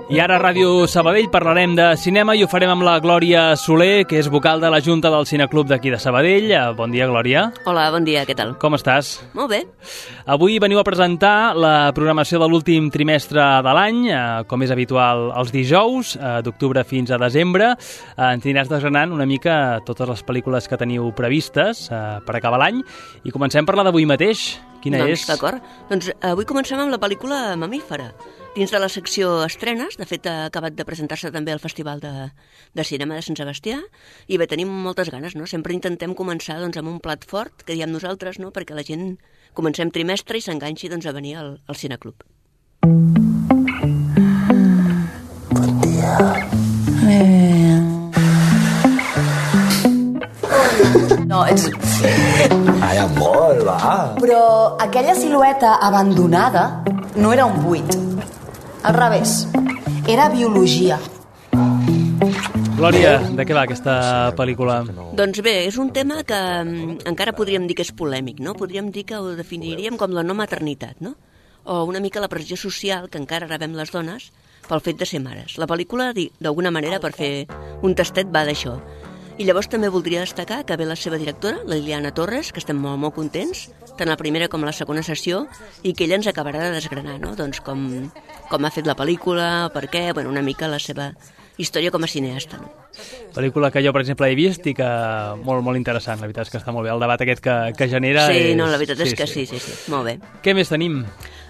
I ara a Ràdio Sabadell parlarem de cinema i ho farem amb la Glòria Soler, que és vocal de la Junta del Cineclub d'aquí de Sabadell. Bon dia, Glòria. Hola, bon dia, què tal? Com estàs? Molt bé. Avui veniu a presentar la programació de l'últim trimestre de l'any, com és habitual els dijous, d'octubre fins a desembre. Ens aniràs desgranant una mica totes les pel·lícules que teniu previstes per acabar l'any i comencem per la d'avui mateix. Quina és? D'acord. Doncs avui comencem amb la pel·lícula Mamífera. Dins de la secció estrenes, de fet ha acabat de presentar-se també al Festival de Cinema de Sant Sebastià, i bé, tenim moltes ganes, no? Sempre intentem començar doncs, amb un plat fort, que diem nosaltres, no? Perquè la gent comencem trimestre i s'enganxi doncs, a venir al Cineclub. Bon dia. No, ets... Ai, amor, va. Però aquella silueta abandonada no era un buit. Al revés, era biologia. Glòria, de què va aquesta pel·lícula? Doncs bé, és un tema que encara podríem dir que és polèmic, no? Podríem dir que ho definiríem com la no maternitat, no? O una mica la pressió social que encara rebem les dones pel fet de ser mares. La pel·lícula, d'alguna manera, per fer un tastet, va d'això. I llavors també voldria destacar que ve la seva directora, la Liliana Torres, que estem molt, molt contents, tant la primera com la segona sessió, i que ella ens acabarà de desgranar, no? Doncs com ha fet la pel·lícula, per què, bueno, una mica la seva història com a cineasta, no? Pel·lícula que jo, per exemple, he vist i que molt, molt interessant, la veritat és que està molt bé. El debat aquest que genera Sí, no, la veritat és que sí, molt bé. Què més tenim?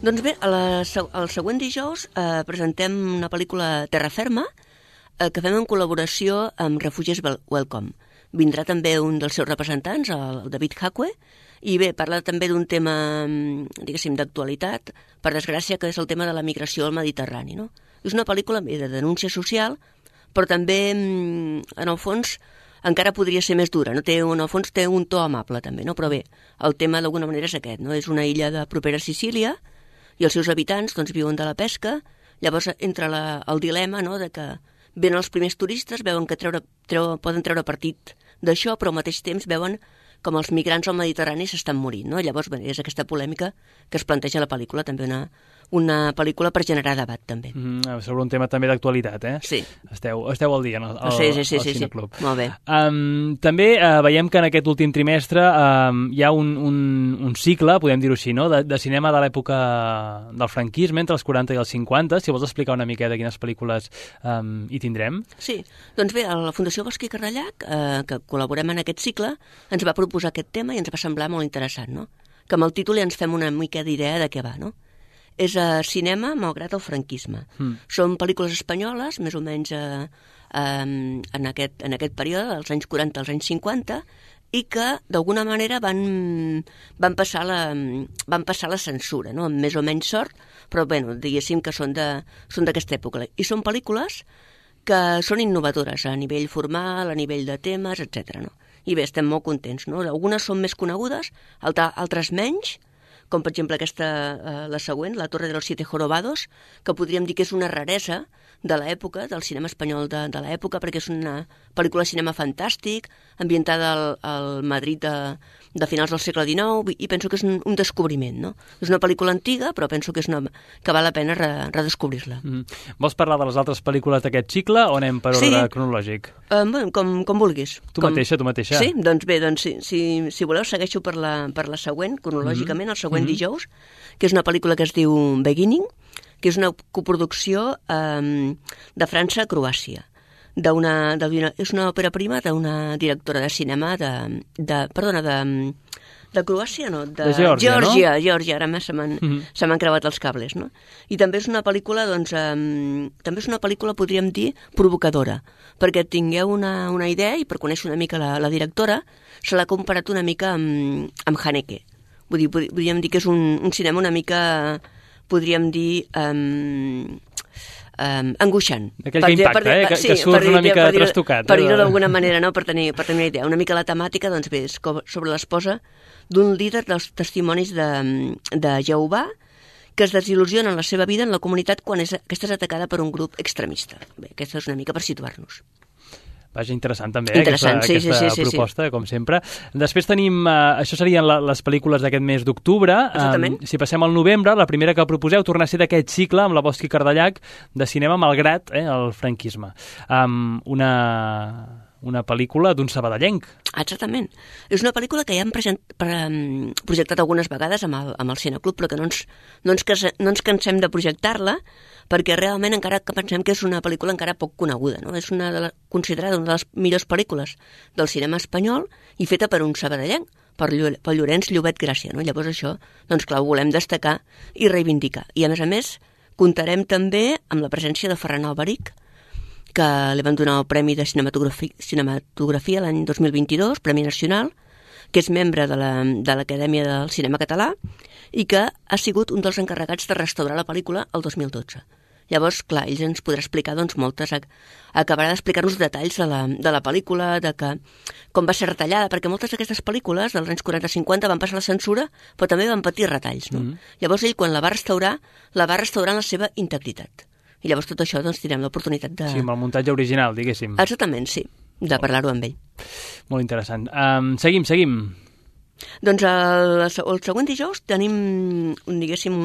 Doncs bé, el següent dijous presentem una pel·lícula Terra Ferma, que fem en col·laboració amb Refugees Welcome. Vindrà també un dels seus representants, el David Hacue, i bé, parla també d'un tema, diguéssim, d'actualitat, per desgràcia, que és el tema de la migració al Mediterrani, no? És una pel·lícula de denúncia social, però també, en el fons, encara podria ser més dura, no? En el fons té un to amable, també, no? Però bé, el tema d'alguna manera és aquest, no? És una illa de propera a Sicília, i els seus habitants doncs, viuen de la pesca, llavors entra el dilema, no?, de que venen els primers turistes, veuen que poden treure partit d'això, però al mateix temps veuen com els migrants al Mediterrani s'estan morint, no? Llavors, bé, és aquesta polèmica que es planteja a la pel·lícula, també una pel·lícula per generar debat, també. Sobre un tema també d'actualitat, eh? Sí. Esteu al dia al Cineclub. Sí, molt bé. També veiem que en aquest últim trimestre hi ha un cicle, podem dir-ho així, no?, de cinema de l'època del franquisme, entre els 40 i els 50. Si vols explicar una mica de quines pel·lícules hi tindrem. Sí, doncs bé, la Fundació Bosch i Carrellac, que col·laborem en aquest cicle, ens va proposar aquest tema i ens va semblar molt interessant, no? Que amb el títol ja ens fem una mica d'idea de què va, no? És cinema malgrat el franquisme. Són pel·lícules espanyoles, més o menys en aquest període, dels anys 40 als anys 50, i que d'alguna manera van passar la censura, no? Amb més o menys sort, però bueno, diguéssim que són d'aquesta època. I són pel·lícules que són innovadores a nivell formal, a nivell de temes, etc. No? I bé, estem molt contents, no? Algunes són més conegudes, altres menys, com per exemple la següent, La Torre de los Siete Jorobados, que podríem dir que és una raresa de l'època, del cinema espanyol de l'època, perquè és una pel·lícula de cinema fantàstic, ambientada al Madrid de finals del segle XIX, i penso que és un descobriment, no? És una pel·lícula antiga, però penso que val la pena redescobrir-la. Vols parlar de les altres pel·lícules d'aquest cicle o anem per ordre cronològic? Bueno, com vulguis. Tu mateixa. Sí, doncs bé, si voleu segueixo per la següent, cronològicament, el següent dijous, que és una pel·lícula que es diu Beginning, que és una coproducció de França a Croàcia. És una òpera prima d'una directora de cinema de Croàcia, no? De Geòrgia, no? Geòrgia, ara se m'han creuat els cables, no? I també és una pel·lícula, podríem dir, provocadora, perquè tingueu una idea i per conèixer una mica la directora, se l'ha comparat una mica amb Haneke. Vull dir, podríem dir que és un cinema una mica, podríem dir, angoixant. Aquell que impacta, que surt una mica trastocat. Per dir-ho d'alguna manera, no? Per tenir una idea. Una mica la temàtica, doncs bé, és sobre l'esposa d'un líder dels testimonis de Jehovà que es desil·lusiona en la seva vida en la comunitat quan aquesta és atacada per un grup extremista. Bé, aquesta és una mica per situar-nos. Vaja, interessant també, Interessant, aquesta proposta, com sempre. Després tenim, això serien les pel·lícules d'aquest mes d'octubre. Exactament. Si passem al novembre, la primera que proposeu torna a ser d'aquest cicle amb la Bosch i Cardellac de cinema malgrat el franquisme. Una pel·lícula d'un sabadellenc. Exactament. És una pel·lícula que ja hem projectat algunes vegades amb el Cineclub, però que no ens cansem de projectar-la, perquè realment encara que pensem que és una pel·lícula encara poc coneguda, no? És considerada una de les millors pel·lícules del cinema espanyol i feta per un sabadellenc, per Llorenç Llobet Gràcia, no? Llavors això, doncs clar, ho volem destacar i reivindicar. I a més, comptarem també amb la presència de Ferran Alberich, que li van donar el Premi de Cinematografia l'any 2022, Premi Nacional, que és membre de l'Acadèmia del Cinema Català i que ha sigut un dels encarregats de restaurar la pel·lícula el 2012. Llavors, clar, ell ens podrà explicar moltes, acabarà d'explicar-nos detalls de la pel·lícula, de com va ser retallada, perquè moltes d'aquestes pel·lícules dels anys 40-50 van passar la censura, però també van patir retalls, no? Llavors ell, quan la va restaurar en la seva integritat. I llavors tot això doncs tindrem l'oportunitat de... Sí, amb el muntatge original, diguéssim. Exactament, sí, de parlar-ho amb ell. Molt interessant. Seguim. Doncs el següent dijous tenim, diguéssim,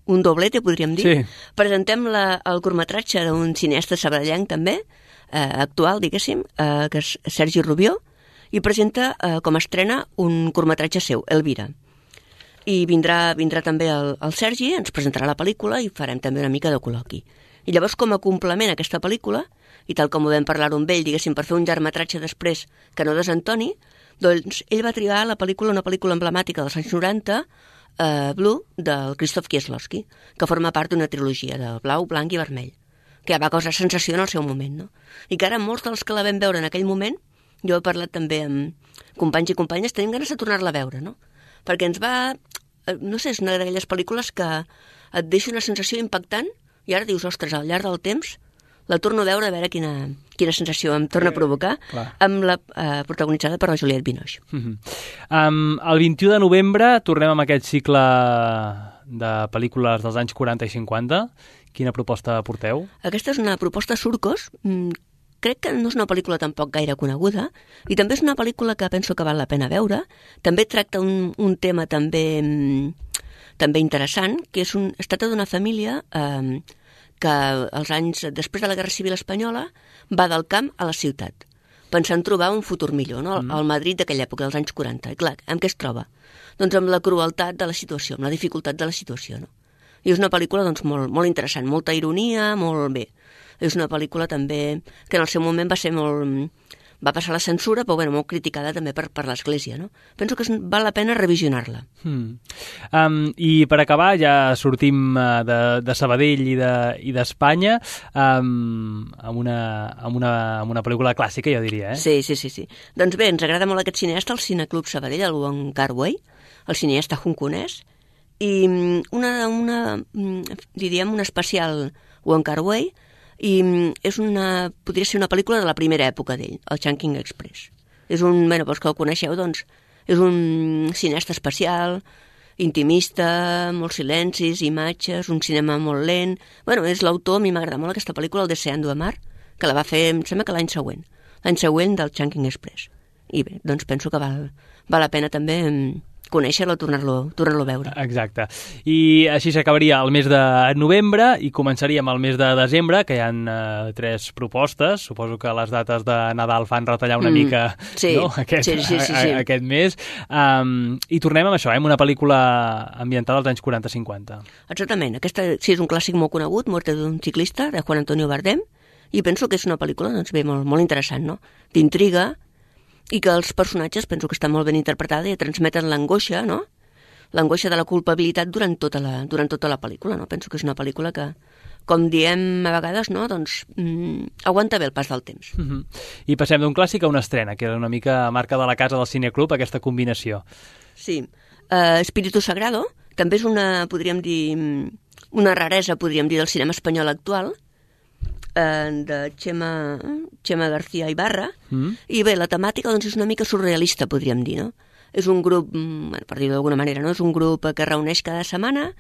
un doblete, podríem dir. Sí. Presentem el curtmetratge d'un cineasta sabadellenc també, actual, diguéssim, que és Sergi Rubió, i presenta com a estrena un curtmetratge seu, Elvira. I vindrà també el Sergi, ens presentarà la pel·lícula i farem també una mica de col·loqui. I llavors, com a complement a aquesta pel·lícula, i tal com ho vam parlar amb ell, diguéssim, per fer un llargmetratge després que no desentoni, doncs ell va triar una pel·lícula emblemàtica dels anys 90, Blue, del Krzysztof Kieslowski, que forma part d'una trilogia de blau, blanc i vermell, que ja va causar sensació en el seu moment, no? I que ara molts dels que la vam veure en aquell moment, jo he parlat també amb companys i companyes, tenim ganes de tornar-la a veure, no? Perquè ens va... No sé, és una d'aquelles pel·lícules que et deixa una sensació impactant i ara dius, ostres, al llarg del temps la torno a veure a veure quina sensació em torna a provocar, amb la protagonitzada per la Juliette Binoche. El 21 de novembre tornem amb aquest cicle de pel·lícules dels anys 40 i 50. Quina proposta porteu? Aquesta és una proposta Surcos. Crec que no és una pel·lícula tampoc gaire coneguda i també és una pel·lícula que penso que val la pena veure. També tracta un tema també interessant, que es tracta d'una família que als anys després de la Guerra Civil Espanyola va del camp a la ciutat, pensant trobar un futur millor, no? Al Madrid d'aquella època, dels anys 40. I clar, amb què es troba? Doncs amb la crueltat de la situació, amb la dificultat de la situació, no? I és una pel·lícula doncs, molt, molt interessant, molta ironia, molt bé. És una pel·lícula també que en el seu moment va passar la censura, però bueno, molt criticada també per l'Església, no? Penso que val la pena revisionar-la. I per acabar, ja sortim de Sabadell i d'Espanya amb una pel·lícula clàssica, jo diria, eh? Sí. Doncs bé, ens agrada molt aquest cineasta, el Cineclub Sabadell, el Wong Kar-wai, el cineasta hongkonès, i diríem un especial Wong Kar-wai, i podria ser una pel·lícula de la primera època d'ell, el Chungking Express. Pels que el coneixeu, doncs, és un cineasta especial, intimista, molts silencis, imatges, un cinema molt lent. És l'autor, a mi m'agrada molt aquesta pel·lícula, el Deseando Amar, que la va fer, em sembla que l'any següent del Chungking Express. I bé, doncs penso que val la pena també conèixer-lo, tornar-lo a veure. Exacte. I així s'acabaria el mes de novembre i començaríem el mes de desembre, que hi ha 3 propostes. Suposo que les dates de Nadal fan retallar una mica aquest mes. I tornem amb això, amb una pel·lícula ambientada als anys 40-50. Exactament. Aquesta sí és un clàssic molt conegut, Muerte d'un ciclista, de Juan Antonio Bardem, i penso que és una pel·lícula molt interessant, no? D'intriga, i que els personatges penso que està molt ben interpretada i transmeten l'angoixa, no? L'angoixa de la culpabilitat durant tota la pel·lícula, no? Penso que és una pel·lícula que, com diem a vegades, no? Doncs aguanta bé el pas del temps. I passem d'un clàssic a una estrena, que era una mica marca de la casa del Cineclub, aquesta combinació. Sí. Espíritu Sagrado també és podríem dir, una raresa, podríem dir, del cinema espanyol actual, de Chema García Ibarra, i bé, la temàtica doncs, és una mica surrealista, podríem dir, no? És un grup, per dir-ho d'alguna manera, no? És un grup que reuneix cada setmana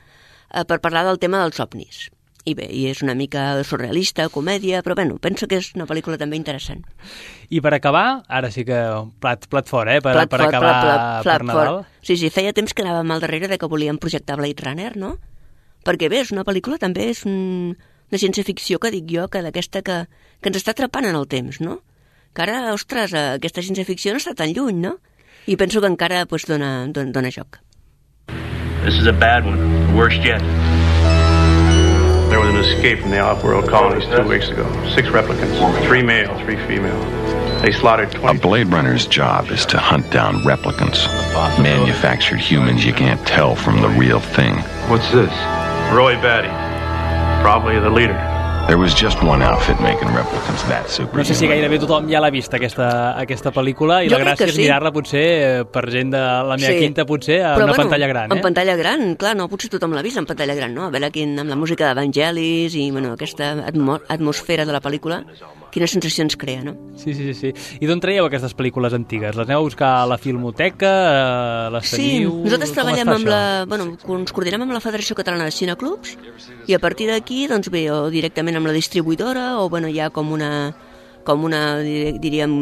per parlar del tema dels ovnis. I bé, i és una mica surrealista, comèdia, però bueno, penso que és una pel·lícula també interessant. I per acabar, ara sí que plat fort, per acabar per Nadal. Sí, feia temps que anàvem al darrere de que volíem projectar Blade Runner, no? Perquè bé, és una pel·lícula també, és una ciència-ficció que dic jo, que d'aquesta que ens està atrapant en el temps, no? Que ara, ostres, aquesta ciència-ficció no està tan lluny, no? I penso que encara dona joc. This is a bad one, the worst yet. There was an escape from the off-world colonies 2 weeks ago. 6 replicants, 3 male, 3 female. They slaughtered 20... A Blade Runner's job is to hunt down replicants. Manufactured humans you can't tell from the real thing. What's this? Roy Batty, probably the leader. There was just one outfit making replicants that superhuman. No sé si gairebé tothom ja l'ha vist, aquesta pel·lícula, i la gràcia és mirar-la potser per gent de la meva quinta, potser a una pantalla gran. En pantalla gran, clar, no, potser tothom l'ha vist en pantalla gran, no? A veure amb la música d'Evangelis i aquesta atmosfera de la pel·lícula, quines sensacions crea, no? Sí. I d'on traieu aquestes pel·lícules antigues? Les aneu a buscar a la Filmoteca? Les teniu? Sí, nosaltres treballem ens coordinem amb la Federació Catalana de Cineclubs i a partir d'aquí, doncs bé, o directament amb la distribuïdora o, hi ha com una diríem,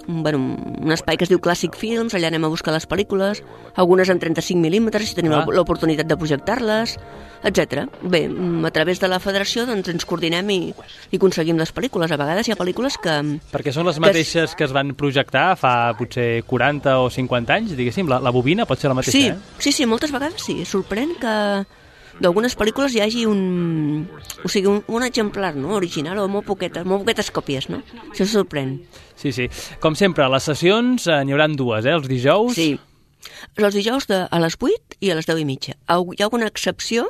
un espai que es diu Classic Films, allà anem a buscar les pel·lícules, algunes en 35 mil·límetres, si tenim l'oportunitat de projectar-les, etc. Bé, a través de la federació doncs, ens coordinem i aconseguim les pel·lícules. A vegades hi ha pel·lícules que... Perquè són les mateixes que es van projectar fa potser 40 o 50 anys, diguéssim, la bobina pot ser la mateixa, Sí, moltes vegades sí. Sorprèn que d'algunes pel·lícules hi hagi un exemplar, no?, original o molt poquetes còpies, no? Això sorprèn. Sí. Com sempre, les sessions n'hi haurà 2, els dijous? Sí. Els dijous a les 8 i a les 10:30. Hi ha alguna excepció?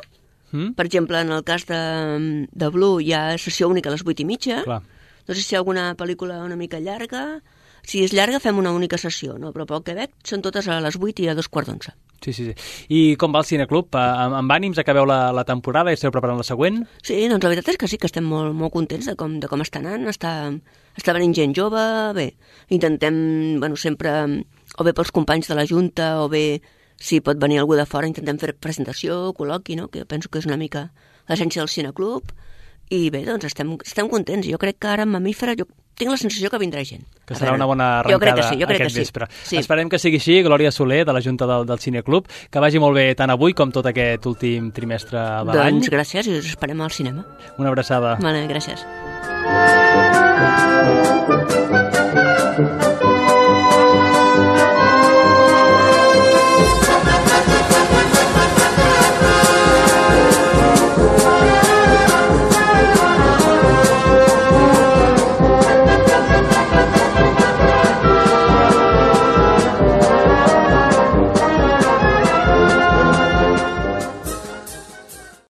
Per exemple, en el cas de Blue hi ha sessió única a les 8:30. Clar. No sé si hi ha alguna pel·lícula una mica llarga. Si és llarga fem una única sessió, no? Però pel que veig són totes a les 8 i a 2:15. Sí. I com va el Cineclub? Amb ànims acabeu la temporada i esteu preparant la següent? Sí, doncs la veritat és que sí, que estem molt, molt contents de com està anant. Està venint gent jove, bé, intentem, sempre, o bé pels companys de la Junta, o bé si pot venir algú de fora, intentem fer presentació, col·loqui, no?, que penso que és una mica l'essència del Cineclub. I bé, doncs estem contents. Jo crec que ara en Mamífera tinc la sensació que vindrà gent. Que serà una bona arrencada aquest vespre. Sí. Esperem que sigui així. Glòria Soler, de la Junta del Cineclub. Que vagi molt bé tant avui com tot aquest últim trimestre de l'any. Doncs gràcies i us esperem al cinema. Una abraçada. Vale, gràcies.